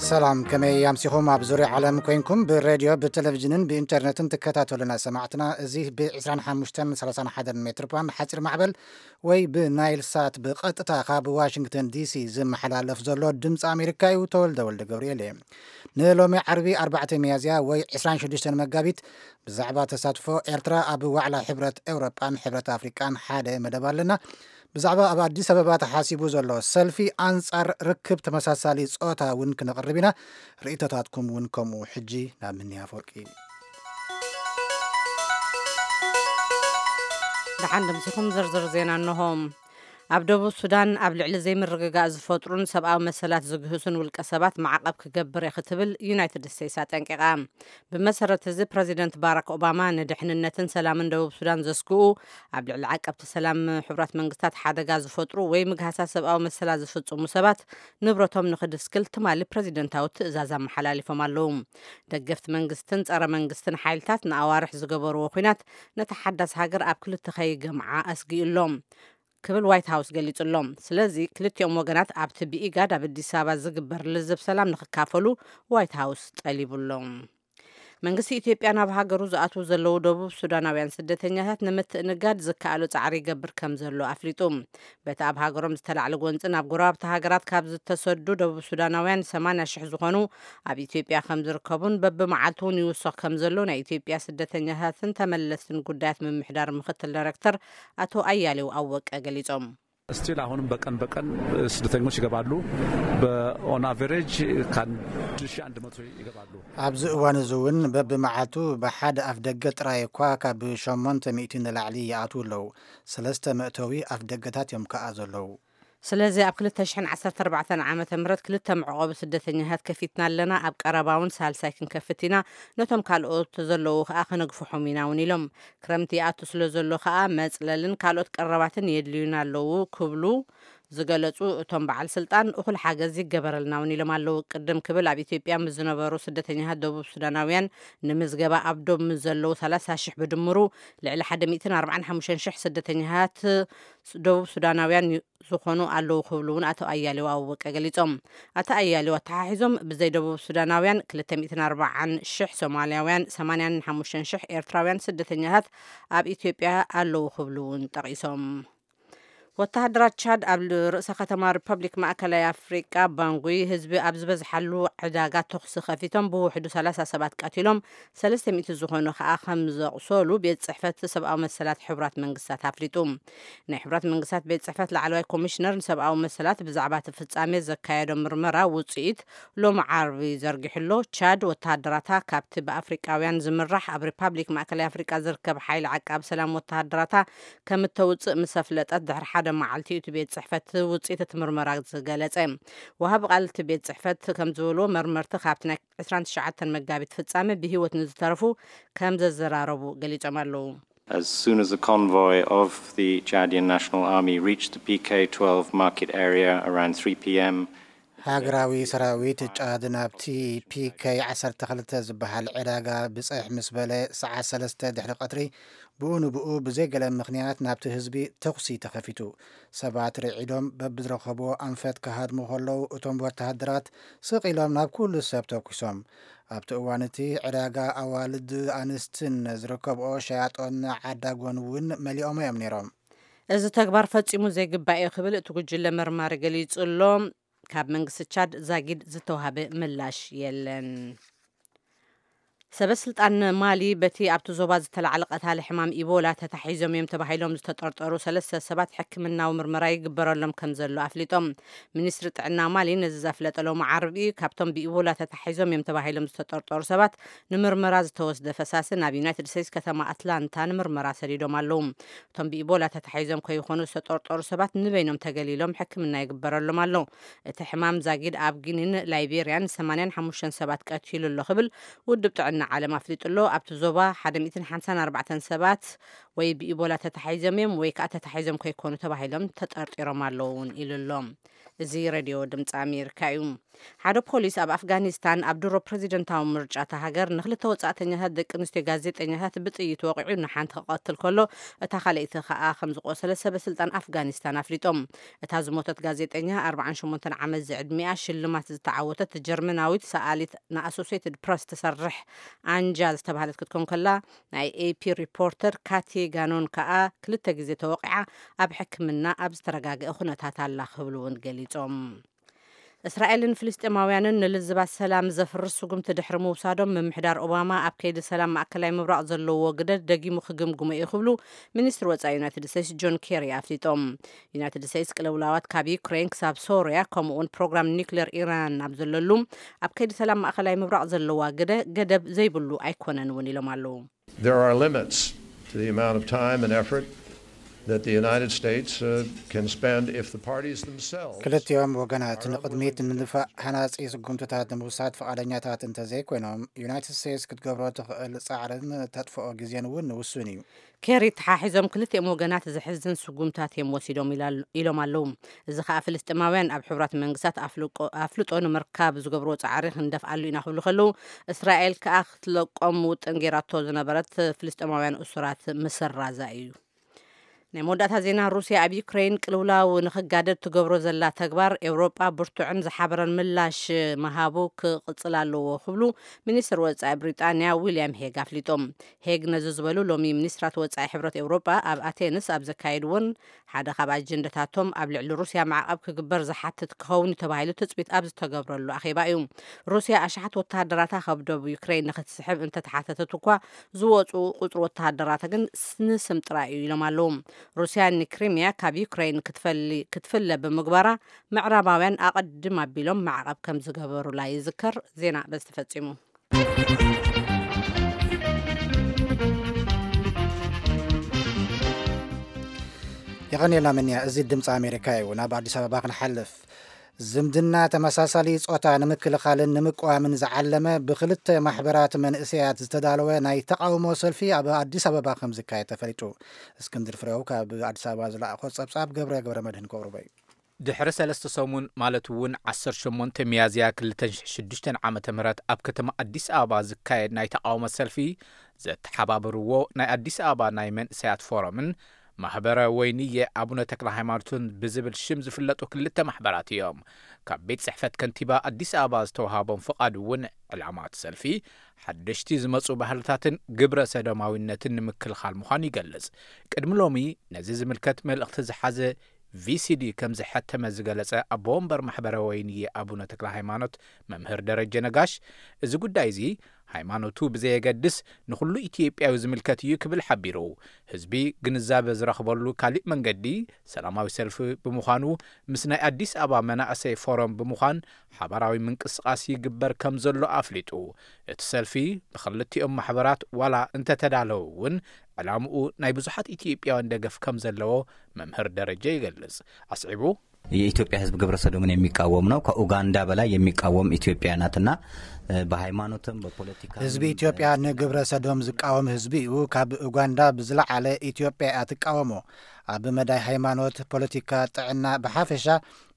ሰላም፣ ከመይ ኣምሲኹም? ኣብ ዙርያ ዓለም ኮይንኩም ብሬድዮ፣ ብቴሌቪዥንን ብኢንተርነትን ትከታተሉና ሰማዕትና፣ እዚ ብ ዕስራን ሓሙሽተን ሰላሳን ሓደን ሜትር ባንድ ሓፂር ማዕበል ወይ ብናይል ሳት ብቐጥታ ካብ ዋሽንግተን ዲሲ ዝመሓላለፍ ዘሎ ድምፂ ኣሜሪካ እዩ። ተወልደ ወልደ ገብርኤል እየ። ንሎሚ ዓርቢ ኣርባዕተ ሚያዝያ ወይ ዕስራን ሽዱሽተን መጋቢት ብዛዕባ ተሳትፎ ኤርትራ ኣብ ዋዕላ ሕብረት ኤውሮጳን ሕብረት ኣፍሪቃን ሓደ መደብ ኣለና። ብዛዕባ ኣብ ኣዲስ ኣበባ ተሓሲቡ ዘሎ ሰልፊ ኣንጻር ርክብ ተመሳሳሊ ጾታ እውን ክነቕርብ ኢና። ርእይቶታትኩም እውን ከምኡ። ሕጂ ናብ ምንያ ኣፈወርቂ። ደሓን ደምሲኹም ዝርዝር ዜና እንሆ። ኣብ ደቡብ ሱዳን ኣብ ልዕሊ ዘይምርግጋእ ዝፈጥሩን ሰብኣዊ መሰላት ዝግህሱን ውልቀ ሰባት ማዕቐብ ክገብር እየ ክትብል ዩናይትድ ስቴትስ ኣጠንቂቓ። ብመሰረት እዚ ፕረዚደንት ባራክ ኦባማ ንድሕንነትን ሰላምን ደቡብ ሱዳን ዘስግኡ፣ ኣብ ልዕሊ ዓቀብቲ ሰላም ሕቡራት መንግስታት ሓደጋ ዝፈጥሩ ወይ ምግሃሳ ሰብኣዊ መሰላት ዝፍጽሙ ሰባት ንብረቶም ንኽድስክል ትማሊ ፕረዚደንታዊ ትእዛዝ ኣመሓላሊፎም ኣለዉ። ደገፍቲ መንግስትን ጸረ መንግስትን ሓይልታት ንኣዋርሕ ዝገበርዎ ኲናት ነታ ሓዳስ ሃገር ኣብ ክልተ ከይገምዓ ኣስጊኡ ኣሎ ክብል ዋይት ሃውስ ገሊጹ ኣሎ። ስለዚ ክልቲኦም ወገናት ኣብቲ ብኢጋድ ኣብ ኣዲስ ኣበባ ዝግበር ልዝብ ሰላም ንኽካፈሉ ዋይት ሃውስ ጠሊቡ ኣሎ። መንግስቲ ኢትዮጵያ ናብ ሃገሩ ዝኣትዉ ዘለዉ ደቡብ ሱዳናውያን ስደተኛታት ንምትእንጋድ ዝከኣሎ ጻዕሪ ይገብር ከም ዘሎ ኣፍሊጡ። በቲ ኣብ ሃገሮም ዝተላዕለ ጎንጺ ናብ ጎረባብቲ ሃገራት ካብ ዝተሰዱ ደቡብ ሱዳናውያን ሰማንያ ሽሕ ዝኾኑ ኣብ ኢትዮጵያ ከም ዝርከቡን በብመዓልቱ እውን ይውሰኽ ከም ዘሎ ናይ ኢትዮጵያ ስደተኛታትን ተመለስትን ጉዳያት ምምሕዳር ምክትል ዳይሬክተር ኣቶ ኣያሌው ኣወቀ ገሊጾም። ስቲል አሁንም በቀን በቀን ስደተኞች ይገባሉ። በኦን አቨሬጅ ከአንድ ሺህ አንድ መቶ ይገባሉ። ኣብዚ እዋን እዚ እውን በብመዓልቱ ብሓደ ኣፍ ደገ ጥራይ እኳ ካብ ሸሞንተ ሚእቲ ንላዕሊ ይኣትዉ ኣለዉ። ሰለስተ መእተዊ ኣፍ ደገታት እዮም ከኣ ዘለዉ። ስለዚ ኣብ ክልተ ሽሕን ዓሰርተ ኣርባዕተን ዓመተ ምህረት ክልተ መዕቆቢ ስደተኛታት ከፊትና ኣለና። ኣብ ቀረባ እውን ሳልሳይ ክንከፍት ኢና። ነቶም ካልኦት ዘለዉ ከኣ ከነግፍሖም ኢና እውን ኢሎም። ክረምቲ ይኣቱ ስለ ዘሎ ከኣ መጽለልን ካልኦት ቀረባትን የድልዩና ኣለዉ ክብሉ ዝገለጹ እቶም በዓል ስልጣን፣ እኹል ሓገዝ ይገበረልና እውን ኢሎም ኣለዉ። ቅድም ክብል ኣብ ኢትዮጵያ ምስ ዝነበሩ ስደተኛታት ደቡብ ሱዳናውያን ንምዝገባ ኣብ ዶብ ምስ ዘለዉ ሰላሳ ሽሕ ብድምሩ ልዕሊ ሓደ ሚእትን ኣርባዓን ሓሙሽተን ሽሕ ስደተኛታት ደቡብ ሱዳናውያን ዝኾኑ ኣለዉ ክብሉ እውን ኣቶ ኣያሌው ኣወቀ ገሊጾም። ኣቶ ኣያሌው ኣተሓሒዞም ብዘይ ደቡብ ሱዳናውያን ክልተ ሚእትን ኣርባዓን ሽሕ ሶማልያውያን፣ ሰማንያን ሓሙሽተን ሽሕ ኤርትራውያን ስደተኛታት ኣብ ኢትዮጵያ ኣለዉ ክብሉ እውን ጠቒሶም። ወተሃደራት ቻድ ኣብ ርእሰ ከተማ ሪፐብሊክ ማእከላይ ኣፍሪቃ ባንጉይ ህዝቢ ኣብ ዝበዝሓሉ ዕዳጋ ተኹሲ ከፊቶም ብውሕዱ ሰላሳ ሰባት ቀቲሎም ሰለስተ ሚእቲ ዝኾኑ ከኣ ከም ዘቑሰሉ ቤት ጽሕፈት ሰብኣዊ መሰላት ሕቡራት መንግስታት ኣፍሊጡ። ናይ ሕቡራት መንግስታት ቤት ጽሕፈት ላዕለዋይ ኮሚሽነር ንሰብኣዊ መሰላት ብዛዕባ እቲ ፍጻሜ ዘካየዶ ምርመራ ውጽኢት ሎሚ ዓርቢ ዘርጊሑ ኣሎ። ቻድ ወተሃደራታ ካብቲ ብኣፍሪቃውያን ዝምራሕ ኣብ ሪፓብሊክ ማእከላይ ኣፍሪቃ ዝርከብ ሓይሊ ዓቃቢ ሰላም ወተሃደራታ ከም እተውጽእ ምስ ኣፍለጠት ድሕሪ ሓደ መዓልቲ እዩ እቲ ቤት ጽሕፈት ውጽኢት እቲ ምርመራ ዝገለጸ። ወሃቢ ቃል እቲ ቤት ጽሕፈት ከም ዝበልዎ መርመርቲ ካብቲ ናይ ዕስራን ትሽዓተን መጋቢት ፍጻሜ ብህይወት ንዝተረፉ ከም ዘዘራረቡ ገሊጾም ኣለዉ። As soon as the convoy of the Chadian National Army reached the P K twelve market area around three p.m., ሃገራዊ ሰራዊት ጫድ ናብቲ ፒ ኬ ዓሰርተ ክልተ ዝበሃል ዕዳጋ ብጽሕ ምስ በለ፣ ሰዓት ሰለስተ ድሕሪ ቀትሪ ብኡ ንብኡ ብዘይ ገለ ምኽንያት ናብቲ ህዝቢ ተኹሲ ተኸፊቱ። ሰባት ርዒዶም በብዝረኸብዎ ኣንፈት ክሃድሙ ከለዉ፣ እቶም ወተሃደራት ስቕ ኢሎም ናብ ኩሉ ሰብ ተኩሶም። ኣብቲ እዋን እቲ ዕዳጋ ኣዋልድ ኣንስትን ዝርከብኦ ሸያጦን ዓዳጎን እውን መሊኦሞ እዮም ነይሮም። እዚ ተግባር ፈጺሙ ዘይግባእ እዩ ክብል እቲ ጉጅለ መርማሪ ገሊጹ ኣሎ። ካብ መንግስቲ ቻድ ዛጊድ ዝተዋህበ ምላሽ የለን። ሰበ ስልጣን ማሊ በቲ ኣብቲ ዞባ ዝተላዕለ ቀታሊ ሕማም ኢቦላ ተታሒዞም እዮም ተባሂሎም ዝተጠርጠሩ ሰለስተ ሰባት ሕክምናዊ ምርመራ ይግበረሎም ከም ዘሎ ኣፍሊጦም። ሚኒስትሪ ጥዕና ማሊ ነዚ ዘፍለጠ ሎሚ ዓርቢ እዩ። ካብቶም ብኢቦላ ተታሒዞም እዮም ተባሂሎም ዝተጠርጠሩ ሰባት ንምርመራ ዝተወስደ ፈሳሲ ናብ ዩናይትድ ስቴትስ ከተማ ኣትላንታ ንምርመራ ሰዲዶም ኣለዉ። እቶም ብኢቦላ ተታሒዞም ከይኾኑ ዝተጠርጠሩ ሰባት ንበይኖም ተገሊሎም ሕክምና ይግበረሎም ኣሎ። እቲ ሕማም ዛጊድ ኣብ ጊኒን ላይቤርያን ሰማንያን ሓሙሽተን ሰባት ቀቲሉ ኣሎ ክብል ውድብ ጥዕና ዓለም ኣፍሊጡ ኣሎ። ኣብቲ ዞባ ሓደ ሚእትን ሓምሳን ኣርባዕተን ሰባት ወይ ብኢቦላ ተታሒዞም እዮም ወይ ከዓ ተታሒዞም ከይኮኑ ተባሂሎም ተጠርጢሮም ኣለዉ እውን ኢሉ ኣሎ። እዚ ሬድዮ ድምፂ ኣሜሪካ እዩ። ሓደ ፖሊስ ኣብ ኣፍጋኒስታን ኣብ ድሮ ፕረዚደንታዊ ምርጫ እታ ሃገር ንክልተ ወጻእተኛታት ደቂ ኣንስትዮ ጋዜጠኛታት ብጥይት ወቒዑ ንሓንቲ ክቐትል ከሎ፣ እታ ካልኣይቲ ከኣ ከም ዝቖሰለ ሰበ ስልጣን ኣፍጋኒስታን ኣፍሊጦም። እታ ዝሞተት ጋዜጠኛ ኣርባዓን ሸሞንተን ዓመት ዝዕድሚኣ ሽልማት ዝተዓወተት ጀርመናዊት ሰኣሊት ንኣሶሴትድ ፕረስ ትሰርሕ ኣንጃ ዝተባህለት ክትኮን ከላ፣ ናይ ኤፒ ሪፖርተር ካቲ ጋኖን ከኣ ክልተ ግዜ ተወቒዓ ኣብ ሕክምና ኣብ ዝተረጋገአ ኩነታት ኣላ ክብሉ እውን ገሊጾም። እስራኤልን ፍልስጤማውያንን ንልዝባት ሰላም ዘፍርስ ስጉምቲ ድሕሪ ምውሳዶም፣ ምምሕዳር ኦባማ ኣብ ከይዲ ሰላም ማእከላይ ምብራቕ ዘለዎ ግደ ደጊሙ ክግምግሞ እዩ ክብሉ ሚኒስትሪ ወጻኢ ዩናይትድ ስቴትስ ጆን ኬሪ ኣፍሊጦም። ዩናይትድ ስቴትስ ቅልውላዋት ካብ ዩክሬን ክሳብ ሶርያ፣ ከምኡውን ፕሮግራም ኒክሌር ኢራን ኣብ ዘለሉ፣ ኣብ ከይዲ ሰላም ማእከላይ ምብራቕ ዘለዋ ግደ ገደብ ዘይብሉ ኣይኮነን እውን ኢሎም ኣለዉ። There are limits to the amount of time and effort that the United States uh, can spend if the parties themselves. ክልቲኦም ወገናት ንቕድሚት ንድፋዕ ሃናጺ ስጉምትታት ንምውሳድ ፍቓደኛታት እንተዘይኮይኖም፣ ዩናይትድ ስቴትስ ክትገብሮ ትኽእል ጻዕርን ተጥፍኦ ግዜን እውን ውሱን እዩ። ኬሪ ተሓሒዞም፣ ክልቲኦም ወገናት ዘሕዝን ስጉምታት እዮም ወሲዶም ኢላል- ኢሎም ኣለዉ። እዚ ከኣ ፍልስጤማውያን ኣብ ሕቡራት መንግስታት ኣፍልቆ- ኣፍልጦ ንምርካብ ዝገብርዎ ጻዕሪ ክንደፍኣሉ ኢና ክብሉ ከለዉ፣ እስራኤል ከኣ ክትለቆም ውጥን ገይራቶ ዝነበረት ፍልስጤማውያን እሱራት ምስራዛ እዩ። ናይ መወዳእታ ዜና። ሩስያ ኣብ ዩክሬን ቅልውላው ንኽጋደድ ትገብሮ ዘላ ተግባር፣ ኤውሮጳ ብርቱዕን ዝሓበረን ምላሽ ምሃቡ ክቕጽል ኣለዎ ክብሉ ሚኒስትር ወጻኢ ብሪጣንያ ዊልያም ሄግ ኣፍሊጦም። ሄግ ነዚ ዝበሉ፣ ሎሚ ሚኒስትራት ወጻኢ ሕብረት ኤውሮጳ ኣብ ኣቴንስ ኣብ ዘካየድዎን ሓደ ካብ ኣጀንዳታቶም ኣብ ልዕሊ ሩስያ ማዕቐብ ክግበር ዝሓትት ክኸውን እዩ ተባሂሉ ትጽቢት ኣብ ዝተገብረሉ ኣኼባ እዩ። ሩስያ ኣሽሓት ወተሃደራታ ካብ ደቡብ ዩክሬን ንክትስሕብ እንተተሓተተት እኳ፣ ዝወፁ ቁፅሪ ወተሃደራታ ግን ንስም ጥራይ እዩ ኢሎም ኣለዉ። ሩስያ ንክሪሚያ ካብ ዩክሬን ክትፈሊ- ክትፍለ ብምግባራ፣ ምዕራባውያን ኣቐድም ኣቢሎም ማዕቐብ ከም ዝገበሩላ ይዝከር። ዜና በዚ ተፈጺሙ። የቐንየልና ምንያ። እዚ ድምፂ ኣሜሪካ እዩ። ናብ ኣዲስ ኣበባ ክንሓልፍ። ዝምድና ተመሳሳሊ ጾታ ንምክልኻልን ንምቅዋምን ዝዓለመ ብክልተ ማሕበራት መንእሰያት ዝተዳለወ ናይ ተቓውሞ ሰልፊ ኣብ ኣዲስ ኣበባ ከም ዝካየድ ተፈሊጡ። እስክንድር ፍሬው ካብ ኣዲስ ኣበባ ዝለኣኾ ጸብጻብ ገብረ ገብረ መድህን ከቕርቦ እዩ። ድሕሪ ሰለስተ ሰሙን፣ ማለት እውን ዓሰርተ ሸሞንተ ሚያዝያ ክልተ ሽሕን ሽዱሽተን ዓመተ ምህረት ኣብ ከተማ ኣዲስ ኣበባ ዝካየድ ናይ ተቓውሞ ሰልፊ፣ ዘተሓባበርዎ ናይ ኣዲስ ኣበባ ናይ መንእሰያት ፎረምን ማህበረ ወይንየ ኣቡነ ተክለ ሃይማኖትን ብዝብል ሽም ዝፍለጡ ክልተ ማሕበራት እዮም። ካብ ቤት ጽሕፈት ከንቲባ ኣዲስ ኣበባ ዝተውሃቦም ፍቓድ እውን፣ ዕላማ እቲ ሰልፊ ሓደሽቲ ዝመጹ ባህልታትን ግብረ ሰዶማዊነትን ንምክልኻል ምዃኑ ይገልጽ። ቅድሚ ሎሚ ነዚ ዝምልከት መልእኽቲ ዝሓዘ ቪሲዲ ከም ዝሐተመ ዝገለጸ ኣቦ ወንበር ማሕበረ ወይንየ ኣቡነ ተክለ ሃይማኖት መምህር ደረጀ ነጋሽ፣ እዚ ጉዳይ እዚ ሃይማኖቱ ብዘየገድስ ንኹሉ ኢትዮጵያዊ ዝምልከት እዩ ክብል ሓቢሩ። ህዝቢ ግንዛበ ዝረኽበሉ ካሊእ መንገዲ ሰላማዊ ሰልፊ ብምዃኑ፣ ምስ ናይ ኣዲስ ኣበባ መናእሰይ ፎረም ብምዃን ሓባራዊ ምንቅስቓስ ይግበር ከም ዘሎ ኣፍሊጡ። እቲ ሰልፊ ብኽልቲኦም ማሕበራት ዋላ እንተተዳለወ እውን፣ ዕላምኡ ናይ ብዙሓት ኢትዮጵያውያን ደገፍ ከም ዘለዎ መምህር ደረጀ ይገልጽ። ኣስዒቡ፣ የኢትዮጵያ ሕዝብ ግብረ ሰዶምን የሚቃወም ነው። ከኡጋንዳ በላይ የሚቃወም ኢትዮጵያ ናትና፣ በሃይማኖትም በፖለቲካ ህዝቢ ኢትዮጵያ ንግብረ ሰዶም ዝቃወም ህዝቢ እዩ። ካብ ኡጋንዳ ብዝለዓለ ኢትዮጵያ እያ ትቃወሞ። ኣብ መዳይ ሃይማኖት፣ ፖለቲካ፣ ጥዕና፣ ብሓፈሻ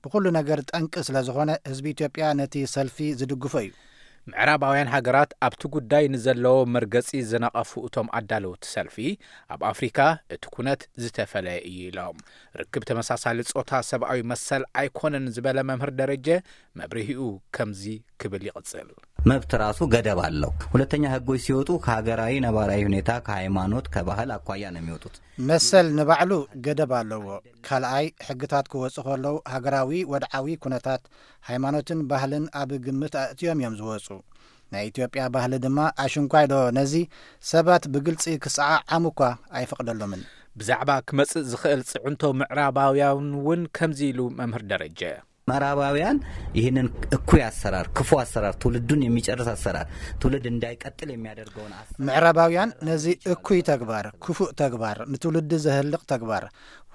ብኹሉ ነገር ጠንቂ ስለ ዝኾነ ህዝቢ ኢትዮጵያ ነቲ ሰልፊ ዝድግፎ እዩ። ምዕራባውያን ሃገራት ኣብቲ ጉዳይ ንዘለዎ መርገጺ ዝነቐፉ እቶም ኣዳለውቲ ሰልፊ፣ ኣብ ኣፍሪካ እቲ ኩነት ዝተፈለየ እዩ ኢሎም። ርክብ ተመሳሳሊ ጾታ ሰብኣዊ መሰል ኣይኮነን ዝበለ መምህር ደረጀ፣ መብርሂኡ ከምዚ ክብል ይቕጽል። መብት ራሱ ገደብ አለው። ሁለተኛ ህጎች ሲወጡ ከሀገራዊ ነባራዊ ሁኔታ፣ ከሃይማኖት፣ ከባህል አኳያ ነው የሚወጡት። መሰል ንባዕሉ ገደብ ኣለዎ። ካልኣይ፣ ሕግታት ክወፁ ከለዉ ሃገራዊ ወድዓዊ ኩነታት፣ ሃይማኖትን ባህልን ኣብ ግምት ኣእትዮም እዮም ዝወፁ። ናይ ኢትዮጵያ ባህሊ ድማ ኣሽንኳይ ዶ ነዚ ሰባት ብግልፂ ክሰዓዓሙ እኳ ኣይፈቕደሎምን። ብዛዕባ ክመጽእ ዝኽእል ጽዕንቶ ምዕራባውያን እውን ከምዚ ኢሉ መምህር ደረጀ። ምዕራባውያን ይህንን እኩይ አሰራር፣ ክፉ አሰራር፣ ትውልዱን የሚጨርስ አሰራር፣ ትውልድ እንዳይቀጥል የሚያደርገውን አሰራር ምዕራባውያን ነዚ እኩይ ተግባር፣ ክፉእ ተግባር፣ ንትውልዲ ዘህልቕ ተግባር፣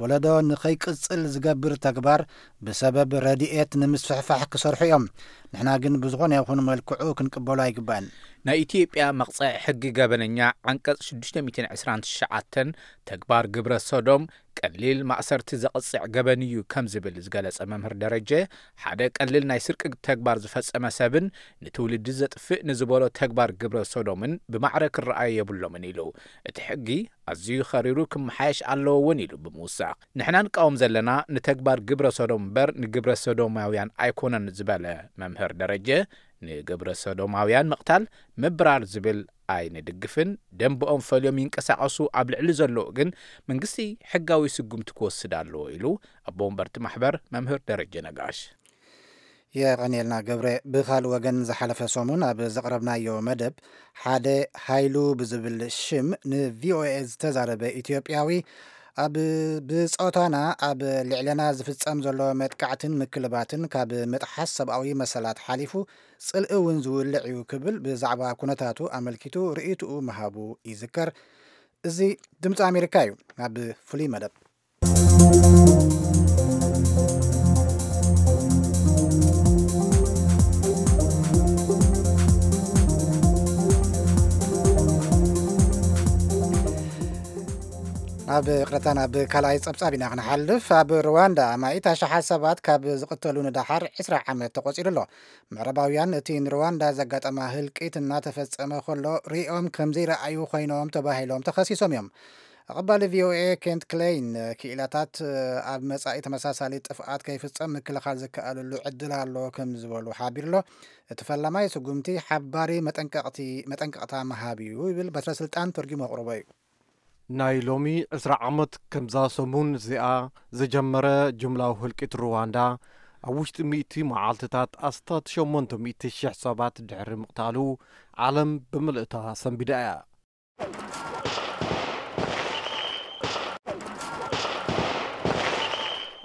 ወለዶ ንኸይቅጽል ዝገብር ተግባር ብሰበብ ረድኤት ንምስፍሕፋሕ ክሰርሑ እዮም። ንሕና ግን ብዝኾነ ይኹን መልክዑ ክንቅበሎ ኣይግባእን። ናይ ኢትዮጵያ መቕጽዒ ሕጊ ገበነኛ ዓንቀጽ ሽዱሽተ ሚእትን ዕስራን ትሽዓተን ተግባር ግብረ ሶዶም ቀሊል ማእሰርቲ ዘቕጽዕ ገበን እዩ ከም ዝብል ዝገለጸ መምህር ደረጀ፣ ሓደ ቀሊል ናይ ስርቂ ተግባር ዝፈጸመ ሰብን ንትውልዲ ዘጥፍእ ንዝበሎ ተግባር ግብረ ሶዶምን ብማዕረ ክረኣዩ የብሎምን ኢሉ። እቲ ሕጊ ኣዝዩ ኸሪሩ ክመሓየሽ ኣለዎ እውን ኢሉ ብምውሳኽ፣ ንሕና ንቃወም ዘለና ንተግባር ግብረ ሶዶም እምበር ንግብረ ሶዶማውያን ኣይኮነን ዝበለ መምህር ደረጀ፣ ንግብረ ሶዶማውያን ምቕታል ምብራር ዝብል ኣይንድግፍን፣ ደንብኦም ፈልዮም ይንቀሳቐሱ ኣብ ልዕሊ ዘለዉ ግን መንግስቲ ሕጋዊ ስጉምቲ ክወስድ ኣለዎ ኢሉ ኣቦ ወንበርቲ ማሕበር መምህር ደረጀ ነጋሽ። የቐንየልና ገብረ። ብኻልእ ወገን ዝሓለፈ ሰሙን ኣብ ዘቕረብናዮ መደብ ሓደ ሃይሉ ብዝብል ሽም ንቪኦኤ ዝተዛረበ ኢትዮጵያዊ ኣብ ብጾታና ኣብ ልዕለና ዝፍጸም ዘሎ መጥቃዕትን ምክልባትን ካብ ምጥሓስ ሰብኣዊ መሰላት ሓሊፉ ጽልኢ እውን ዝውልዕ እዩ ክብል ብዛዕባ ኩነታቱ ኣመልኪቱ ርእይትኡ ምሃቡ ይዝከር። እዚ ድምፂ ኣሜሪካ እዩ። ኣብ ፍሉይ መደብ ኣብ ቅረታ ናብ ካልኣይ ጸብጻብ ኢና ክንሓልፍ። ኣብ ሩዋንዳ ኣማኢት ኣሽሓት ሰባት ካብ ዝቕተሉ ንደሓር ዕስራ ዓመት ተቖጺሩ ኣሎ። ምዕራባውያን እቲ ንሩዋንዳ ዘጋጠማ ህልቂት እናተፈጸመ ከሎ ሪኦም ከም ዘይረኣዩ ኮይኖም ተባሂሎም ተኸሲሶም እዮም። ኣቐባሊ ቪኦኤ ኬንት ክሌይን ክኢላታት ኣብ መጻኢ ተመሳሳሊ ጥፍኣት ከይፍጸም ምክልኻል ዝከኣለሉ ዕድል ኣሎ ከም ዝበሉ ሓቢሩ ኣሎ። እቲ ፈላማይ ስጉምቲ ሓባሪ መጠንቀቕቲ መጠንቀቕታ ምሃብ እዩ ይብል በትረ ስልጣን ተርጉሙ ኣቕርቦ እዩ። ናይ ሎሚ ዕስራ ዓመት ከምዛ ሰሙን እዚኣ ዝጀመረ ጅምላዊ ህልቂት ሩዋንዳ ኣብ ውሽጢ ሚእቲ መዓልትታት ኣስታት ሸሞንተ ሚእቲ ሽሕ ሰባት ድሕሪ ምቕታሉ ዓለም ብምልእታ ሰንቢዳ እያ።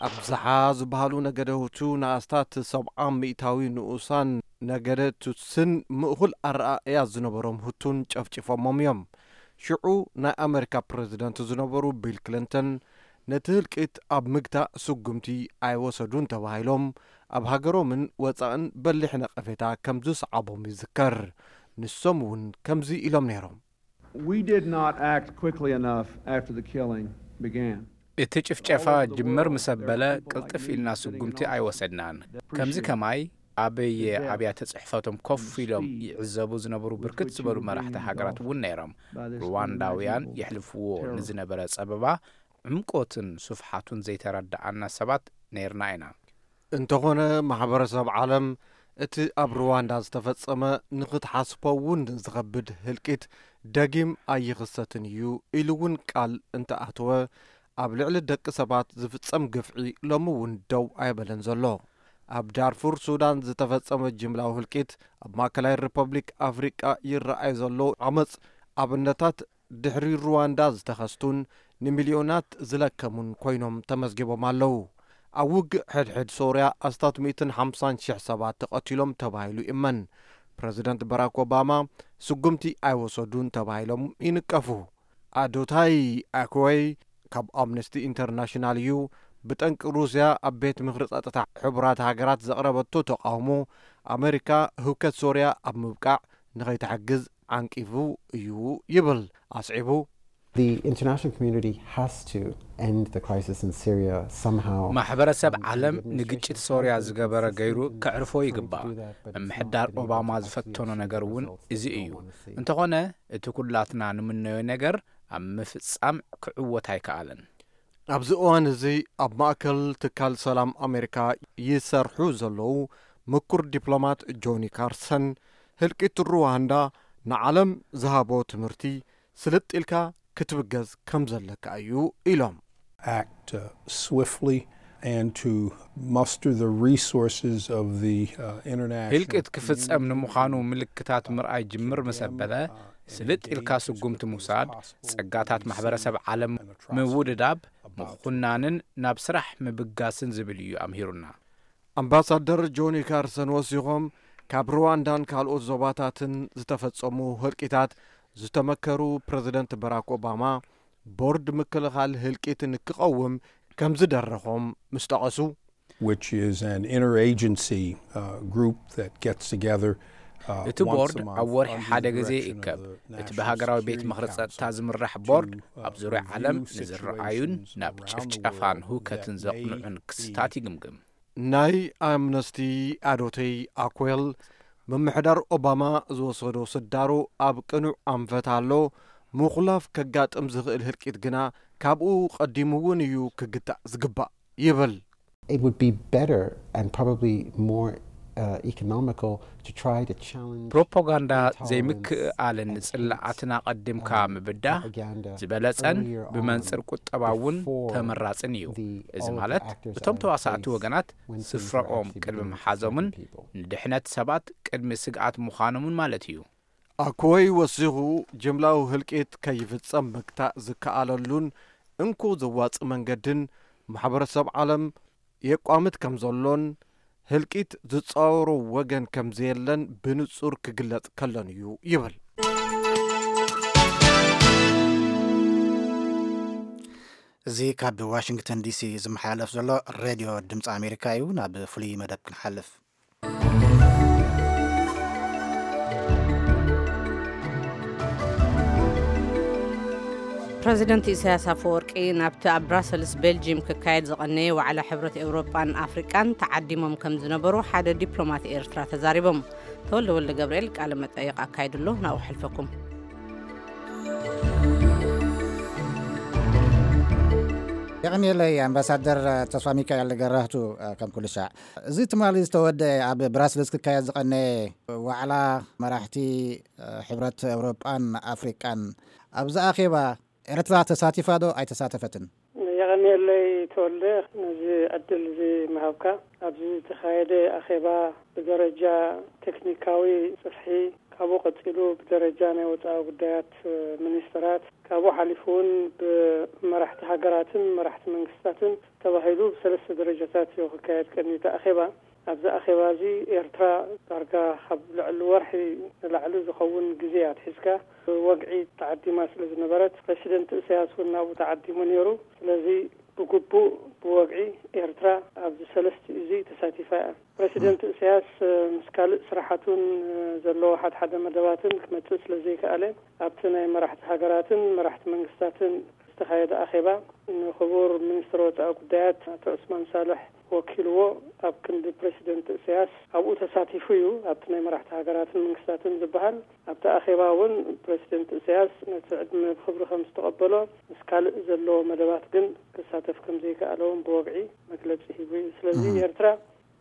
ኣብዝሓ ዝበሃሉ ነገደ ሁቱ ንኣስታት ሰብዓ ሚእታዊ ንኡሳን ነገደ ቱትስን ምእኹል ኣረኣእያ ዝነበሮም ሁቱን ጨፍጭፎሞም እዮም። ሽዑ ናይ ኣመሪካ ፕረዚደንት ዝነበሩ ቢል ክሊንተን ነቲ ህልቂት ኣብ ምግታእ ስጉምቲ ኣይወሰዱን ተባሂሎም ኣብ ሃገሮምን ወጻእን በሊሕ ነቐፌታ ከም ዝሰዓቦም ይዝከር። ንሶም እውን ከምዚ ኢሎም ነይሮም። We did not act quickly enough after the killing began. እቲ ጭፍጨፋ ጅምር ምስ ኣበለ ቅልጥፍ ኢልና ስጉምቲ ኣይወሰድናን። ከምዚ ከማይ ኣብ ኣብያተ ጽሕፈቶም ኮፍ ኢሎም ይዕዘቡ ዝነበሩ ብርክት ዝበሉ መራሕቲ ሃገራት እውን ነይሮም። ሩዋንዳውያን የሕልፍዎ ንዝነበረ ጸበባ ዕምቆትን ስፍሓቱን ዘይተረድኣና ሰባት ነይርና ኢና። እንተኾነ ማሕበረሰብ ዓለም እቲ ኣብ ሩዋንዳ ዝተፈጸመ ንኽትሓስቦ እውን ዝኸብድ ህልቂት ደጊም ኣይኽሰትን እዩ ኢሉ እውን ቃል እንተኣተወ፣ ኣብ ልዕሊ ደቂ ሰባት ዝፍጸም ግፍዒ ሎሚ እውን ደው ኣይበለን ዘሎ። ኣብ ዳርፉር ሱዳን ዝተፈጸመ ጅምላዊ ህልቂት፣ ኣብ ማእከላይ ሪፐብሊክ ኣፍሪቃ ይረኣይ ዘሎ ዓመጽ ኣብነታት ድሕሪ ሩዋንዳ ዝተኸስቱን ንሚልዮናት ዝለከሙን ኮይኖም ተመዝጊቦም ኣለዉ። ኣብ ውግእ ሕድሕድ ሶርያ ኣስታት ሚእትን ሓምሳን ሽሕ ሰባት ተቐቲሎም ተባሂሉ ይእመን። ፕረዚደንት ባራክ ኦባማ ስጉምቲ ኣይወሰዱን ተባሂሎም ይንቀፉ። ኣዶታይ ኣክወይ ካብ ኣምነስቲ ኢንተርናሽናል እዩ። ብጠንቂ ሩስያ ኣብ ቤት ምኽሪ ጸጥታ ሕቡራት ሃገራት ዘቕረበቶ ተቓውሞ ኣመሪካ ህውከት ሶርያ ኣብ ምብቃዕ ንኸይትሕግዝ ዓንቂፉ እዩ ይብል። ኣስዒቡ፣ The international community has to end the crisis in Syria somehow. ማሕበረሰብ ዓለም ንግጭት ሶርያ ዝገበረ ገይሩ ከዕርፎ ይግባእ። ምምሕዳር ኦባማ ዝፈተኖ ነገር እውን እዚ እዩ። እንተኾነ እቲ ኩላትና ንምነዮ ነገር ኣብ ምፍጻም ክዕወት ኣይከኣለን። ኣብዚ እዋን እዚ ኣብ ማእከል ትካል ሰላም ኣሜሪካ ይሰርሑ ዘለዉ ምኩር ዲፕሎማት ጆኒ ካርሰን፣ ህልቂት ሩዋንዳ ንዓለም ዝሃቦ ትምህርቲ፣ ስልጥ ኢልካ ክትብገስ ከም ዘለካ እዩ ኢሎም። Act uh, swiftly and to muster the resources of the uh, international ህልቂት ክፍጸም ንምዃኑ ምልክታት ምርኣይ ጅምር ምስ ኣበለ፣ ስልጥ ኢልካ ስጉምቲ ምውሳድ፣ ጸጋታት ማሕበረሰብ ዓለም ምውድዳብ፣ ምኹናንን ናብ ስራሕ ምብጋስን ዝብል እዩ ኣምሂሩና። ኣምባሳደር ጆኒ ካርሰን ወሲኾም፣ ካብ ሩዋንዳን ካልኦት ዞባታትን ዝተፈጸሙ ህልቂታት ዝተመከሩ ፕረዚደንት ባራክ ኦባማ፣ ቦርድ ምክልኻል ህልቂት ንክቐውም ከም ዝደረኾም ምስ ጠቐሱ፣ which is an interagency uh, group that gets together uh, እቲ ቦርድ ኣብ ወርሒ ሓደ ግዜ ይእከብ። እቲ ብሃገራዊ ቤት ምኽሪ ጸጥታ ዝምራሕ ቦርድ ኣብ ዙርያ ዓለም ንዝረኣዩን ናብ ጭፍጨፋን ሁከትን ዘቕንዑን ክስታት ይግምግም። ናይ ኣምነስቲ ኣዶተይ ኣኮል፣ ምምሕዳር ኦባማ ዝወሰዶ ስዳሩ ኣብ ቅኑዕ ኣንፈት ኣሎ። ምኹላፍ ከጋጥም ዝኽእል ህልቂት ግና ካብኡ ቀዲሙ እውን እዩ ክግታእ ዝግባእ ይብል። It would be better and probably more uh, economical to try to challenge ፕሮፓጋንዳ ዘይምክእኣልን ጽላኣትን ኣቐዲምካ ምብዳህ ዝበለጸን ብመንጽር ቁጠባ እውን ተመራጽን እዩ። እዚ ማለት እቶም ተዋሳእቲ ወገናት ስፍራኦም ቅድሚ ምሓዞምን ንድሕነት ሰባት ቅድሚ ስግኣት ምዃኖምን ማለት እዩ። ኣኮይ ወሲኹ፣ ጅምላዊ ህልቂት ከይፍጸም ምግታእ ዝከኣለሉን እንኮ ዘዋጽእ መንገድን ማሕበረሰብ ዓለም የቋምት ከም ዘሎን ህልቂት ዝጻወሮ ወገን ከም ዘየለን ብንጹር ክግለጽ ከሎን እዩ ይብል። እዚ ካብ ዋሽንግተን ዲሲ ዝመሓላለፍ ዘሎ ሬድዮ ድምፂ ኣሜሪካ እዩ። ናብ ፍሉይ መደብ ክንሓልፍ። ፕረዚደንት ኢሳያስ ኣፈወርቂ ናብቲ ኣብ ብራሰልስ ቤልጂም ክካየድ ዝቐነየ ዋዕላ ሕብረት ኤውሮጳን ኣፍሪቃን ተዓዲሞም ከም ዝነበሩ ሓደ ዲፕሎማት ኤርትራ ተዛሪቦም። ተወልደ ወልደ ገብርኤል ቃለ መጠይቕ ኣካይድሎ ናብኡ ሕልፈኩም። የቐንየለይ ኣምባሳደር ተስፋ ሚካኤል ገራህቱ። ከም ኩሉ ሻዕ እዚ ትማሊ ዝተወደ ኣብ ብራስልስ ክካየድ ዝቐነየ ዋዕላ መራሕቲ ሕብረት ኤውሮጳን ኣፍሪቃን ኣብዚ ኣኼባ ኤርትራ ተሳቲፋ ዶ ኣይተሳተፈትን? የቐንየለይ ተወልደ፣ ነዚ ዕድል እዚ ምሃብካ። ኣብዚ ዝተኻየደ ኣኼባ ብደረጃ ቴክኒካዊ ጽፍሒ፣ ካብኡ ቀጺሉ ብደረጃ ናይ ወጻኢ ጉዳያት ሚኒስትራት፣ ካብኡ ሓሊፉ እውን ብመራሕቲ ሃገራትን መራሕቲ መንግስታትን ተባሂሉ ብሰለስተ ደረጃታት እዩ ክካየድ ቀንዩ እቲ ኣኼባ። ኣብዚ ኣኼባ እዚ ኤርትራ ዳርጋ ካብ ልዕሊ ወርሒ ንላዕሊ ዝኸውን ግዜ ኣትሒዝካ ብወግዒ ተዓዲማ ስለ ዝነበረት፣ ፕረሲደንት ኢሳያስ እውን ናብኡ ተዓዲሙ ነይሩ። ስለዚ ብግቡእ ብወግዒ ኤርትራ ኣብዚ ሰለስቲኡ እዚ ተሳቲፋ እያ። ፕረሲደንት ኢሳያስ ምስ ካልእ ስራሓቱን ዘለዎ ሓድሓደ መደባትን ክመጽእ ስለ ዘይከኣለ፣ ኣብቲ ናይ መራሕቲ ሃገራትን መራሕቲ መንግስታትን ዝተኻየደ ኣኼባ ንክቡር ሚኒስትር ወጻኢ ጉዳያት ኣቶ ዑስማን ሳልሕ ወኪልዎ ኣብ ክንዲ ፕረሲደንት ኢሳያስ ኣብኡ ተሳቲፉ እዩ። ኣብቲ ናይ መራሕቲ ሃገራትን መንግስታትን ዝበሃል ኣብቲ ኣኼባ እውን ፕረሲደንት ኢሳያስ ነቲ ዕድመ ብክብሪ ከም ዝተቐበሎ፣ ምስ ካልእ ዘለዎ መደባት ግን ክሳተፍ ከም ዘይከኣለ እውን ብወግዒ መግለጺ ሂቡ እዩ። ስለዚ ኤርትራ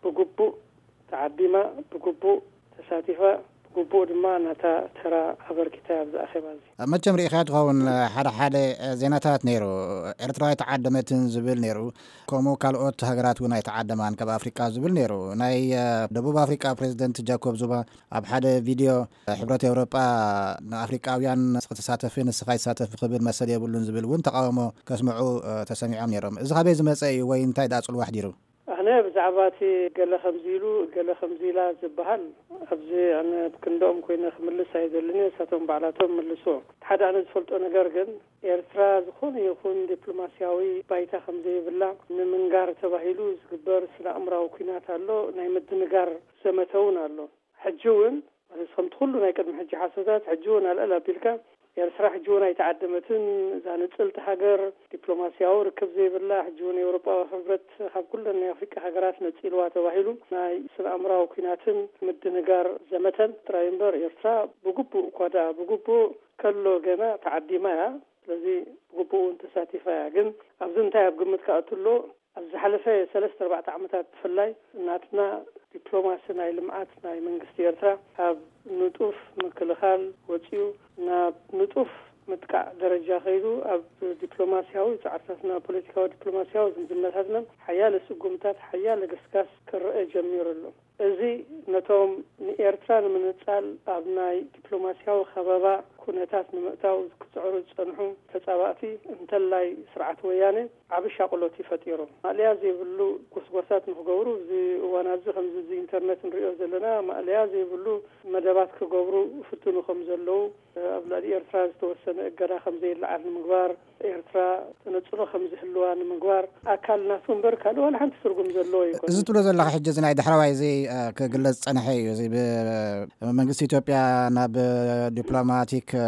ብግቡእ ተዓዲማ፣ ብግቡእ ተሳቲፋ፣ ብግቡእ ድማ ናታ ተራ ኣበርኪታ ኣብዚ ኣኼባ እዚ። መቸም ርኢኻያ ትኸውን፣ ሓደ ሓደ ዜናታት ነይሩ፣ ኤርትራ ኣይተዓደመትን ዝብል ነይሩ፣ ከምኡ ካልኦት ሃገራት እውን ኣይተዓደማን ካብ ኣፍሪቃ ዝብል ነይሩ። ናይ ደቡብ ኣፍሪቃ ፕሬዚደንት ጃኮብ ዙማ ኣብ ሓደ ቪድዮ ሕብረት ኤውሮጳ ንኣፍሪቃውያን ክትሳተፊ ንስኻ ይሳተፊ ክብል መሰል የብሉን ዝብል እውን ተቃውሞ ከስምዑ ተሰሚዖም ነይሮም። እዚ ካበይ ዝመፀ እዩ ወይ እንታይ ደኣ ፅልዋ ኣሕዲሩ? ኣነ ብዛዕባ እቲ ገለ ከምዚ ኢሉ ገለ ከምዚ ኢላ ዝበሃል ኣብዚ ኣነ ክንድኦም ኮይነ ክምልስ ኣይደልን እየ፣ ንሳቶም ባዕላቶም ይምልስዎ። እቲ ሓደ ኣነ ዝፈልጦ ነገር ግን ኤርትራ ዝኾነ ይኹን ዲፕሎማስያዊ ባይታ ከም ዘይብላ ንምንጋር ተባሂሉ ዝግበር ስነ ኣእምራዊ ኲናት ኣሎ። ናይ ምድንጋር ዘመተ እውን ኣሎ። ሕጂ እውን ማለት ከምቲ ኩሉ ናይ ቅድሚ ሕጂ ሓሶታት ሕጂ እውን ኣልዕል ኣቢልካ ኤርትራ ሕጂ እውን ኣይተዓደመትን። እዛ ንጽልቲ ሃገር ዲፕሎማስያዊ ርክብ ዘይብላ ሕጂ እውን ኤውሮጳዊ ሕብረት ካብ ኩለን ናይ ኣፍሪቃ ሃገራት ነጺልዋ ተባሂሉ ናይ ስነ ኣእምራዊ ኲናትን ምድንጋር ዘመተን ጥራይ እምበር ኤርትራ ብግቡእ እኳ ደኣ ብግቡእ ከሎ ገና ተዓዲማ እያ። ስለዚ ብግቡእ እውን ተሳቲፋ እያ። ግን ኣብዚ እንታይ ኣብ ግምት ክኣቱ ኣሎ? ኣብ ዝሓለፈ ሰለስተ ኣርባዕተ ዓመታት ብፍላይ ናትና ዲፕሎማሲ ናይ ልምዓት ናይ መንግስቲ ኤርትራ ካብ ንጡፍ ምክልኻል ወጺኡ ናብ ንጡፍ ምጥቃዕ ደረጃ ከይዱ ኣብ ዲፕሎማስያዊ ጻዕርታትና ፖለቲካዊ ዲፕሎማስያዊ ዝምድናታትና ሓያለ ስጉምታት ሓያለ ገስጋስ ክረአ ጀሚሩ ኣሎ። እዚ ነቶም ንኤርትራ ንምንጻል ኣብ ናይ ዲፕሎማስያዊ ከበባ ኩነታት ንምእታው ክጽዕሩ ዝጸንሑ ተጻባእቲ፣ እንተላይ ስርዓት ወያነ፣ ዓቢ ሻቕሎት እዩ ፈጢሩ። ማእለያ ዘይብሉ ጎስጓሳት ንኽገብሩ፣ እዚ እዋን ኣብዚ ከምዚ፣ እዚ ኢንተርነት ንሪኦ ዘለና፣ ማእለያ ዘይብሉ መደባት ክገብሩ ይፍትኑ ከም ዘለዉ፣ ኣብ ልዕሊ ኤርትራ ዝተወሰነ እገዳ ከም ዘይለዓል ንምግባር፣ ኤርትራ ተነጽሎ ከም ዝህልዋ ንምግባር ኣካል ናቱ እምበር ካልእ ዋላ ሓንቲ ትርጉም ዘለዎ ኣይኮነን። እዚ ትብሎ ዘለኻ ሕጂ፣ እዚ ናይ ዳሕረዋይ፣ እዚ፣ እ፣ ክግለጽ ዝጸንሐ እዩ። እዚ ብመንግስቲ ኢትዮጵያ ናብ ዲፕሎማቲክ፣ እ፣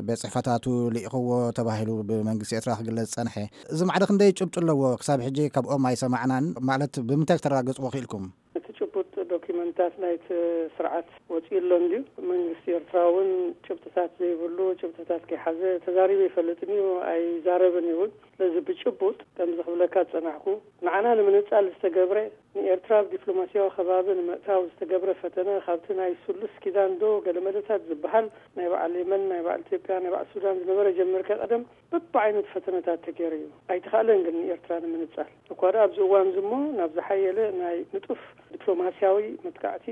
ቤት ጽሕፈታቱ ልኢኽዎ ተባሂሉ ብመንግስቲ ኤርትራ ክግለጽ ዝጸንሐ። እዚ ማዕረ ክንደይ ጭብጢ ኣለዎ? ክሳብ ሕጂ ካብኦም ኣይሰማዕናን። ማለት ብምንታይ ክተረጋግጽዎ ክኢልኩም? እቲ ጭቡጥ ዶኪመንታት ናይቲ ስርዓት ወጺኡ ኣሎ እንድዩ። መንግስቲ ኤርትራ እውን ጭብጥታት ዘይብሉ፣ ጭብጥታት ከይሓዘ ተዛሪቡ ኣይፈልጥን እዩ፣ ኣይዛረብን እዩ እውን። ስለዚ ብጭቡጥ ከምዚ ክብለካ ዝጸናሕኩ፣ ንዓና ንምንጻል ዝተገብረ፣ ንኤርትራ ኣብ ዲፕሎማስያዊ ከባቢ ንምእታው ዝተገብረ ፈተነ፣ ካብቲ ናይ ስሉስ ኪዳን ዶ ገለመለታት ዝበሃል ናይ በዓል የመን፣ ናይ በዓል ኢትዮጵያ፣ ናይ በዓል ሱዳን ዝነበረ ጀሚርካ ቀደም በብዓይነቱ ፈተነታት ተገይሩ እዩ። ኣይተኻእለን ግን ንኤርትራ ንምንጻል። እኳ ደኣ ኣብዚ እዋን እዚ እሞ ናብ ዝሓየለ ናይ ንጡፍ ዲፕሎማስያዊ መጥቃዕቲ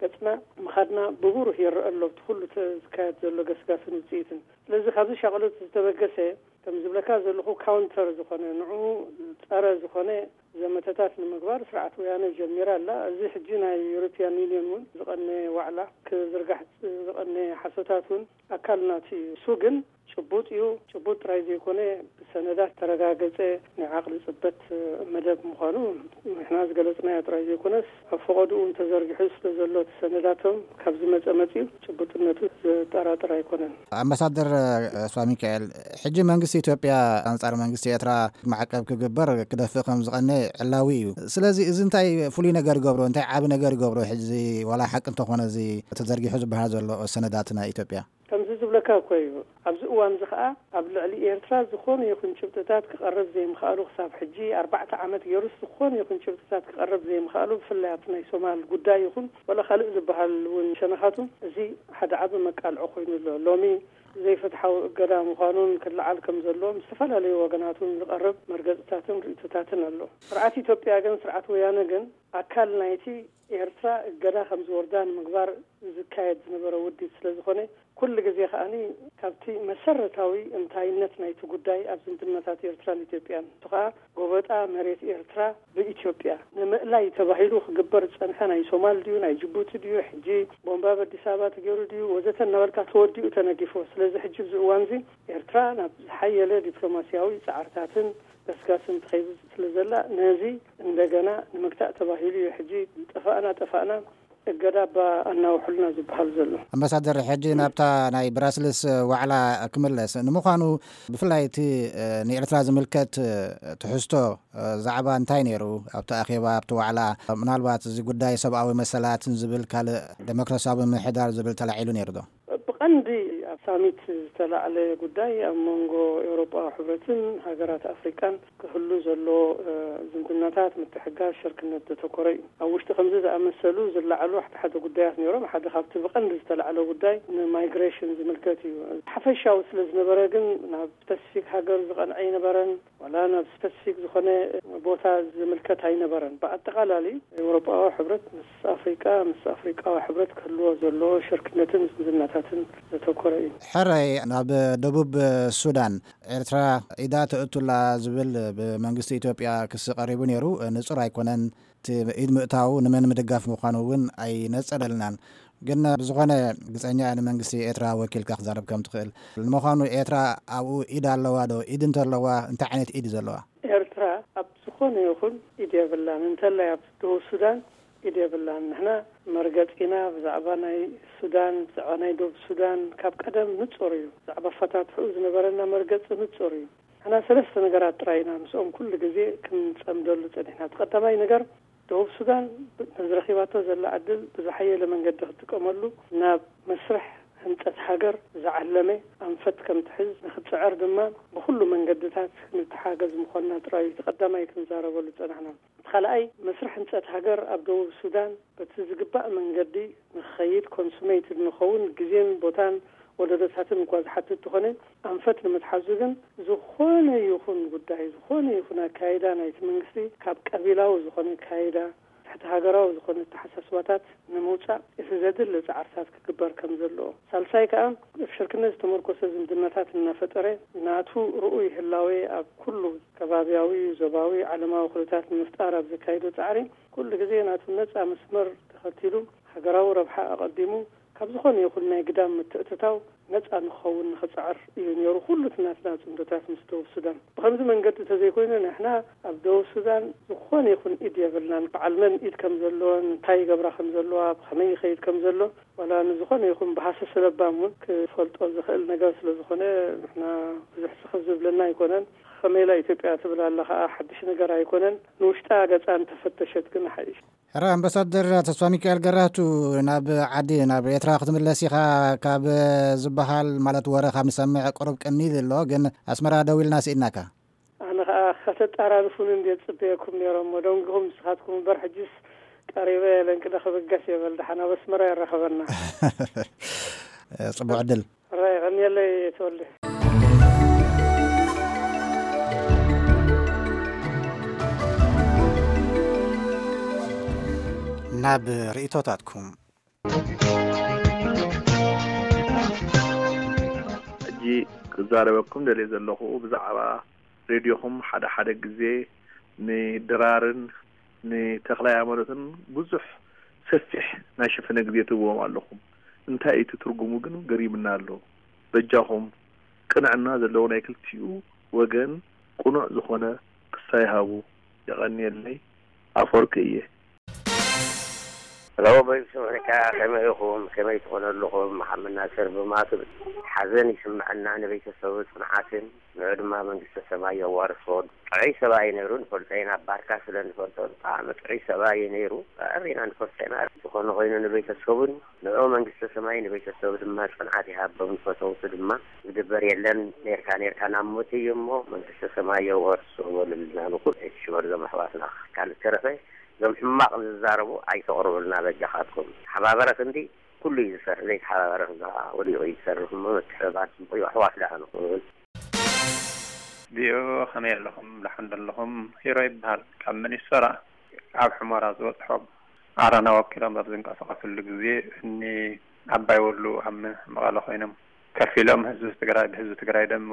ገጽና ምኻድና ብብሩህ ይረአ ኣሎ፣ ኣብቲ ኩሉ ተ-፣ ዝካየድ ዘሎ ገስጋስን ውጽኢትን። ስለዚ ካብዚ ሻቕሎት ዝተበገሰ፣ ከም ዝብለካ ዘለኹ፣ ካውንተር ዝኾነ፣ ንዕኡ ጸረ ዝኾነ ዘመተታት ንምግባር ስርዓት ወያነ ጀሚራ ኣላ። እዚ ሕጂ ናይ ዩሮፒያን ዩኒየን እውን ዝቐነ ዋዕላ ክዝርጋሕ ዝቐነ ሓሶታት እውን ኣካል ናቱ እዩ። እሱ ግን ጭቡጥ እዩ። ጭቡጥ ጥራይ ዘይኮነ፣ ብሰነዳት ተረጋገጸ ናይ ዓቕሊ ጽበት መደብ ምዃኑ ንሕና ዝገለጽናዮ ጥራይ ዘይኮነስ፣ ኣብ ፈቐድኡ እውን ተዘርጊሑ ስለ ዘሎ፣ እቲ ሰነዳቶም ካብ ዝመጸ መጺኡ ጭቡጥነቱ ዘጠራጥር ኣይኮነን። ኣምባሳደር ተስፋ ሚካኤል፣ ሕጂ መንግስቲ ኢትዮጵያ ኣንጻር መንግስቲ ኤርትራ ማዕቀብ ክግበር ክደፍእ ከም ዝቐነ ዕላዊ እዩ። ስለዚ እዚ እንታይ ፍሉይ ነገር ይገብሮ? እንታይ ዓቢ ነገር ይገብሮ? ሕዚ ዋላ ሓቂ እንተኾነ እዚ ተዘርጊሑ ዝበሃል ዘሎ ሰነዳት ናይ ኢትዮጵያ? ከምዚ ዝብለካ እኮ እዩ። ኣብዚ እዋን እዚ ኸኣ ኣብ ልዕሊ ኤርትራ ዝኾነ ይኹን ጭብጥታት ክቐርብ ዘይምኽኣሉ፣ ክሳብ ሕጂ ኣርባዕተ ዓመት ገይሩስ ዝኾነ ይኹን ጭብጥታት ክቐርብ ዘይምኽኣሉ፣ ብፍላይ ኣብቲ ናይ ሶማል ጉዳይ ይኹን ዋላ ካልእ ዝበሃል እውን ሸነኻቱ፣ እዚ ሓደ ዓቢ መቃልዖ ኮይኑ ኣሎ። ሎሚ ዘይፍትሓዊ እገዳ ምዃኑን ክለዓል ከም ዘለዎም ዝተፈላለዩ ወገናትን ዝቐርብ መርገጽታትን ርእይቶታትን ኣሎ። ስርዓት ኢትዮጵያ ግን፣ ስርዓት ወያነ ግን ኣካል ናይቲ ኤርትራ እገዳ ከም ዝወርዳ ንምግባር ዝካየድ ዝነበረ ውዲት ስለ ዝኾነ፣ ኩሉ ግዜ ከኣኒ ካብቲ መሰረታዊ እንታይነት ናይቲ ጉዳይ ኣብ ዝምድናታት ኤርትራን ኢትዮጵያን፣ እሱ ከኣ ጎበጣ መሬት ኤርትራ ብኢትዮጵያ ንምእላይ ተባሂሉ ክግበር ዝጸንሐ፣ ናይ ሶማል ድዩ፣ ናይ ጅቡቲ ድዩ፣ ሕጂ ቦምባ ኣብ ኣዲስ ኣበባ ተገይሩ ድዩ ወዘተ እናበልካ ተወዲኡ ተነጊፎ። ስለዚ ሕጂ ኣብዚ እዋንዚ ኤርትራ ናብ ዝሓየለ ዲፕሎማስያዊ ጻዕርታትን ገስጋስን ትኸይድ ስለ ዘላ፣ ነዚ እንደገና ንምግታእ ተባሂሉ እዩ ሕጂ ጠፋእና ጠፋእና እገዳ እባ ኣናውሑልና ዝበሃል ዘሎ። ኣምባሳደር፣ ሕጂ ናብታ ናይ ብራስልስ ዋዕላ ክምለስ። ንምዃኑ ብፍላይ እቲ፣ እ፣ ንኤርትራ ዝምልከት፣ እ፣ ትሕዝቶ፣ እ፣ ዛዕባ እንታይ ነይሩ ኣብቲ ኣኼባ፣ ኣብቲ ዋዕላ? ምናልባት እዚ ጉዳይ ሰብኣዊ መሰላትን ዝብል ካልእ ደሞክራሲያዊ ምምሕዳር ዝብል ተላዒሉ ነይሩ ዶ? ብቐንዲ ኣብ ሳሚት ዝተላዕለ ጉዳይ ኣብ መንጎ ኤውሮጳዊ ሕብረትን ሃገራት ኣፍሪቃን ክህሉ ዘሎ፣ እ፣ ዝምድናታት፣ ምትሕግጋዝ፣ ሽርክነት ዘተኮረ እዩ። ኣብ ውሽጢ ከምዚ ዝኣመሰሉ ዝለዓሉ ሓደ ሓደ ጉዳያት ነይሮም። ሓደ ካብቲ ብቐንዲ ዝተላዕለ ጉዳይ ንማይግሬሽን ዝምልከት እዩ። ሓፈሻዊ ስለ ዝነበረ ግን ናብ ስፐሲፊክ ሃገር ዝቐንዐ ኣይነበረን፣ ዋላ ናብ ስፐሲፊክ ዝኾነ ቦታ ዝምልከት ኣይነበረን። ብኣጠቓላሊ ኤውሮጳዊ ሕብረት ምስ ኣፍሪቃ፣ ምስ ኣፍሪቃዊ ሕብረት ክህልዎ ዘለዎ ሽርክነትን ዝምድናታትን ዘተኮረ እዩ። ሕራይ፣ ናብ ደቡብ ሱዳን ኤርትራ ኢዳ ተእቱላ ዝብል ብመንግስቲ ኢትዮጵያ ክሲ ቀሪቡ ነይሩ። ንጹር ኣይኮነን። እቲ ኢድ ምእታዉ ንመን ምድጋፍ ምዃኑ እውን ኣይነጸረልናን። ግን ብዝኾነ፣ ግጸኛ ንመንግስቲ ኤርትራ ወኪልካ ክዛረብ ከም ትኽእል። ንምዃኑ ኤርትራ ኣብኡ ኢድ ኣለዋ ዶ? ኢድ እንተለዋ፣ እንታይ ዓይነት ኢድ እዩ ዘለዋ? ኤርትራ ኣብ ዝኾነ ይኹን ኢድ የብላን። እንተላይ ኣብ ደቡብ ሱዳን ኢድ የብላን። ንሕና መርገጺና ብዛዕባ ናይ ሱዳን፣ ብዛዕባ ናይ ደቡብ ሱዳን ካብ ቀደም ንጹር እዩ። ብዛዕባ ኣፈታትሕኡ ዝነበረና መርገጺ ንጹር እዩ። ንሕና ሰለስተ ነገራት ጥራይ ኢና ምስኦም ኩሉ ግዜ ክንጸምደሉ ጸኒሕና። እቲ ቀዳማይ ነገር፣ ደቡብ ሱዳን ብ-፣ ነዚ ረኺባቶ ዘላ ዕድል ብዝሓየለ መንገዲ ክትጥቀመሉ፣ ናብ መስርሕ ህንጸት ሃገር ዝዓለመ ኣንፈት ከም ትሕዝ ንኽትጽዕር ድማ ብኹሉ መንገድታት ክንተሓገዝ ምዃንና ጥራይ እዩ እቲ ቀዳማይ ክንዛረበሉ ዝጸናሕና። እቲ ካልኣይ፣ መስርሕ ህንጸት ሃገር ኣብ ደቡብ ሱዳን በቲ ዝግባእ መንገዲ ንኽኸይድ፣ ኮንሱሜትድ ንኸውን፣ ግዜን ቦታን ወለዶታትን እኳ ዝሓትት እንተኾነ፣ ኣንፈት ንምትሓዙ ግን ዝኾነ ይኹን ጉዳይ፣ ዝኾነ ይኹን ኣካይዳ ናይቲ መንግስቲ ካብ ቀቢላዊ ዝኾነ ኣካይዳ እቲ ሃገራዊ ዝኾነ ኣተሓሳስባታት ንምውጻእ እቲ ዘድሊ ጻዕርታት ክግበር ከም ዘለዎ፣ ሳልሳይ ከኣ ኣብ ሽርክነት ዝተመርኮሰ ዝምድናታት እናፈጠረ ናቱ ርኡይ ህላዌ ኣብ ኩሉ ከባብያዊ፣ ዞባዊ፣ ዓለማዊ ኩነታት ንምፍጣር ኣብ ዘካይዶ ጻዕሪ ኩሉ ግዜ ናቱ ነጻ መስመር ተኸቲሉ ሃገራዊ ረብሓ ኣቐዲሙ ካብ ዝኾነ ይኹን ናይ ግዳም ምትእትታው ነጻ ንኸውን ንኽጽዕር እዩ ነይሩ። ኩሉ እቲ ናትና ጽምዶታት ምስ ደቡብ ሱዳን ብኸምዚ መንገዲ እንተዘይኮይኑ ንሕና ኣብ ደቡብ ሱዳን ዝኾነ ይኹን ኢድ የብልናን። በዓል መን ኢድ ከም ዘለዎን እንታይ ይገብራ ከም ዘለዋ ብኸመይ ይኸይድ ከም ዘሎ ዋላ ንዝኾነ ይኹን ብሃሰ ስለባም እውን ክፈልጦ ዝኽእል ነገር ስለ ዝኾነ ንሕና ብዙሕ ስኽፍ ዝብለና ኣይኮነን። ከመይላ ኢትዮጵያ ትብል ኣላ ከዓ ሓድሽ ነገር ኣይኮነን። ንውሽጣ ገፃ እንተፈተሸት ግን ሓይሽ። ሕራ ኣምባሳደር ተስፋ ሚካኤል ገራህቱ፣ ናብ ዓዲ ናብ ኤርትራ ክትምለስ ኢኻ። ካብ ዝበሃል ማለት ወረ ካብ ንሰምዕ ቅሩብ ቀኒል ኣሎ፣ ግን ኣስመራ ደው ኢልና ስኢድናካ። ኣነ ከዓ ከተጣራርፉን እንዴ ጽበየኩም ነይሮም ደንግኹም ንስኻትኩም እምበር ሕጅስ ቀሪበ ለንቅደ ክብገስ የበል ደሓን ኣብ ኣስመራ የራኸበና። ጽቡዕ ዕድል። ራይ ቀኒየለይ ተወልደ። ናብ ርእይቶታትኩም። ሕጂ ክዛረበኩም ደልየ ዘለኹ ብዛዕባ ሬድዮኹም ሓደ ሓደ ግዜ ንድራርን ንተኽላይ ኣመሎትን ብዙሕ ሰፊሕ ናይ ሽፈነ ግዜ ትህብዎም ኣለኹም። እንታይ እዩ እቲ ትርጉሙ ግን ገሪምና ኣሎ። በጃኹም ቅንዕና ዘለዎ ናይ ክልቲኡ ወገን ቅኑዕ ዝኾነ ክሳይ ሃቡ። የቐንየለይ። ኣፈወርቂ እየ። ሄሎ፣ ቮይስ ኦፍ ኣሜሪካ፣ ከመይ ኢኹም? ከመይ ትኾኑ ኣለኹም? መሓመድ ናስር ብማቱ ሓዘን ይስምዐና፣ ንቤተሰቡ ጽንዓትን ንዑ ድማ መንግስተ ሰማይ የዋርሶ። ጥዑይ ሰብኣይ ነይሩ፣ ንፈልጦ ኢና፣ ባርካ ስለ ንፈልጦ ብጣዕሚ ጥዑይ ሰብኣይ ነይሩ። ኣሪና ንፈልጦ ኢና። ዝኾነ ኮይኑ ንቤተሰቡን ንዑ መንግስተ ሰማይ ንቤተሰቡ ድማ ጽንዓት ይሃቦም፣ ንፈተውቱ ድማ ዝግበር የለን። ኔርካ ኔርካ ናብ ሞት እዩ እሞ መንግስተ ሰማይ የዋርሶ በሉልና ንኹሉ። እሺ በሉ ዞም ኣሕዋትና። ካልእ ተረፈ እዞም ሕማቕ ዝዛረቡ ኣይተቕርቡልና በጃኻትኩም። ሓባበረ ክንዲ ኩሉ እዩ ዝሰርሕ፣ ዘይተሓባበረ ክንዲ ከዓ ወዲቑ እዩ ዝሰርሕ እሞ ምትሕብባር ጽቡቕ እዩ። ኣሕዋት ደኣ ንኹን። ቪኦኤ ከመይ ኣለኹም? ደሓን ዶ ኣለኹም? ሂሮ ይበሃል ካብ ሚኒሶታ። ኣብ ሑመራ ዝበጽሖም ዓረና ወኪሎም ኣብ ዝንቀሳቐስሉ ግዜ እኒ ዓባይ ወሉ ኣብ መቐለ ኮይኖም ከፊሎም ህዝቢ ትግራይ ብህዝቢ ትግራይ ደም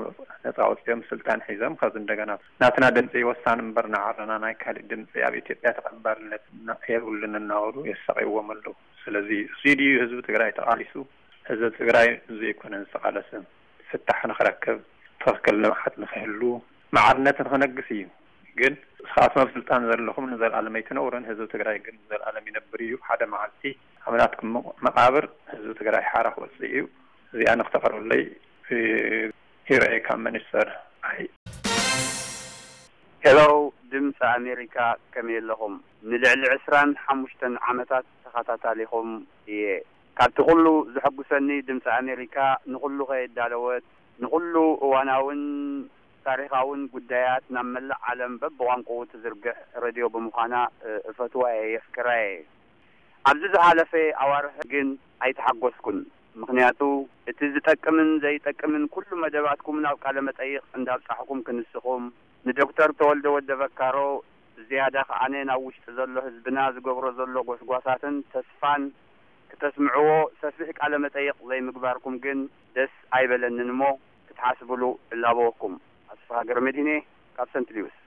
ነፃ ኣውፂኦም ስልጣን ሒዞም ከዚ እንደገና ናትና ድምፂ ወሳኒ እምበር ንዓረና ናይ ካሊእ ድምፂ ኣብ ኢትዮጵያ ተቐባልነት እና- የብሉን እናበሉ የሳቕይዎም ኣለዉ። ስለዚ እዚ ድዩ ህዝቢ ትግራይ ተቓሊሱ? ህዝቢ ትግራይ ዘይኮነ ዝተቓለሰ ፍታሕ ንኽረክብ ትኽክል ልምዓት ንኽህሉ ማዕርነት ንኽነግስ እዩ። ግን ንስኻትኩም ኣብ ስልጣን ዘለኹም ንዘለኣለም ኣይትነብሩን፣ ህዝቢ ትግራይ ግን ንዘለኣለም ይነብር እዩ። ሓደ መዓልቲ ኣብ ናትኩም መቕ- መቓብር ህዝቢ ትግራይ ሓራ ክወፅእ እዩ። እዚኣ ንክተቕርብለይ ሂሮኤ ካብ መኒስተር ኣይ ሄሎ ድምፂ ኣሜሪካ ከመይ ኣለኹም? ንልዕሊ ዕስራን ሓሙሽተን ዓመታት ተኸታታሊኹም እየ። ካብቲ ኩሉ ዘሐጉሰኒ ድምፂ ኣሜሪካ ንኹሉ ከየዳለወት ንኹሉ እዋናውን ታሪኻውን ጉዳያት ናብ መላእ ዓለም በብቋንቁኡ ትዝርግሕ ረድዮ ብምዃና እፈትዋ እየ የፍቅራ እየ። ኣብዚ ዝሓለፈ ኣዋርሕ ግን ኣይተሓጎስኩን። ምኽንያቱ እቲ ዝጠቅምን ዘይጠቅምን ኩሉ መደባትኩም ናብ ቃለ መጠይቕ እንዳብጻሕኩም ክንስኹም ንዶክተር ተወልደ ወደ በካሮ ብዝያዳ ከዓነ ናብ ውሽጢ ዘሎ ህዝብና ዝገብሮ ዘሎ ጎስጓሳትን ተስፋን ክተስምዕዎ ሰፊሕ ቃለ መጠይቕ ዘይምግባርኩም ግን ደስ ኣይበለንን እሞ ክትሓስብሉ እላበወኩም። ኣስፍሃ ገረመድህኔ ካብ ሰንት ሊውስ።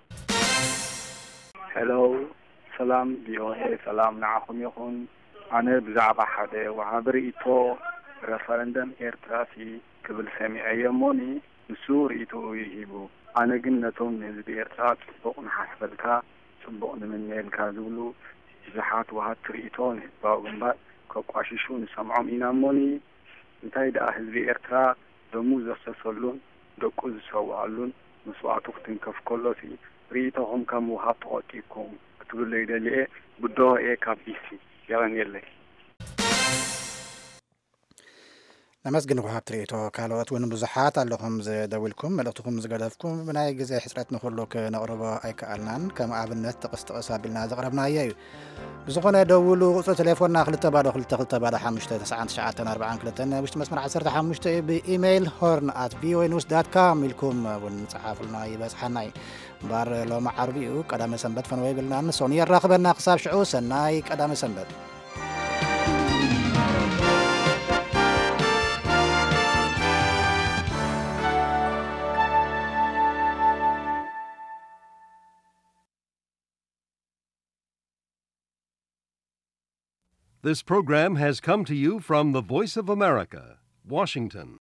ሄሎ ሰላም ቪኦኤ ሰላም ንዓኹም ይኹን። ኣነ ብዛዕባ ሓደ ወሃቢ ርእይቶ ረፈረንደም ኤርትራሲ ክብል ሰሚዐዮ እሞኒ ንሱ ርእይቶኡ እዩ ሂቡ። ኣነ ግን ነቶም ንህዝቢ ኤርትራ ጽቡቕ ንሓስበልካ ጽቡቕ ንምነየልካ ዝብሉ ብዙሓት ወሃብቲ ርእይቶ ንህዝባዊ ግንባር ከቋሽሹ ንሰምዖም ኢና እሞኒ እንታይ ደኣ ህዝቢ ኤርትራ ደሙ ዘፍሰሰሉን ደቁ ዝሰውኣሉን መስዋእቱ ክትንከፍ ከሎሲ ርእይቶኹም ከም ውሃብ ተቖጢብኩም ክትብለይ ደልየ ብድሆ እየ ካብ ዲሲ። የቐንየለይ። ነመስግን ውሃብቲ ርእይቶ። ካልኦት እውን ብዙሓት ኣለኹም ዝደውልኩም መልእኽትኹም ዝገደፍኩም ብናይ ግዜ ሕፅረት ንኹሉ ክነቕርቦ ኣይከኣልናን። ከም ኣብነት ጥቕስ ጥቕስ ኣቢልና ዘቕረብናዮ እዩ። ብዝኾነ ደውሉ ቁፅሪ ቴሌፎንና ክልተ ባዶ ክልተ ክልተ ባዶ ሓሙሽተ ተስዓን ትሽዓተን ኣርባዓን ክልተን ናይ ውሽጢ መስመር ዓሰርተ ሓሙሽተ እዩ። ብኢሜይል ሆርን ኣት ቪኦኤ ኒውስ ዳት ካም ኢልኩም እውን ጸሓፉልና ይበጽሓና እዩ። እምበር ሎሚ ዓርቢ እዩ፣ ቀዳመ ሰንበት ፈነወ ይብልናን ሶኒ የራኽበና። ክሳብ ሽዑ ሰናይ ቀዳመ ሰንበት። This program has come to you from the Voice of America, Washington.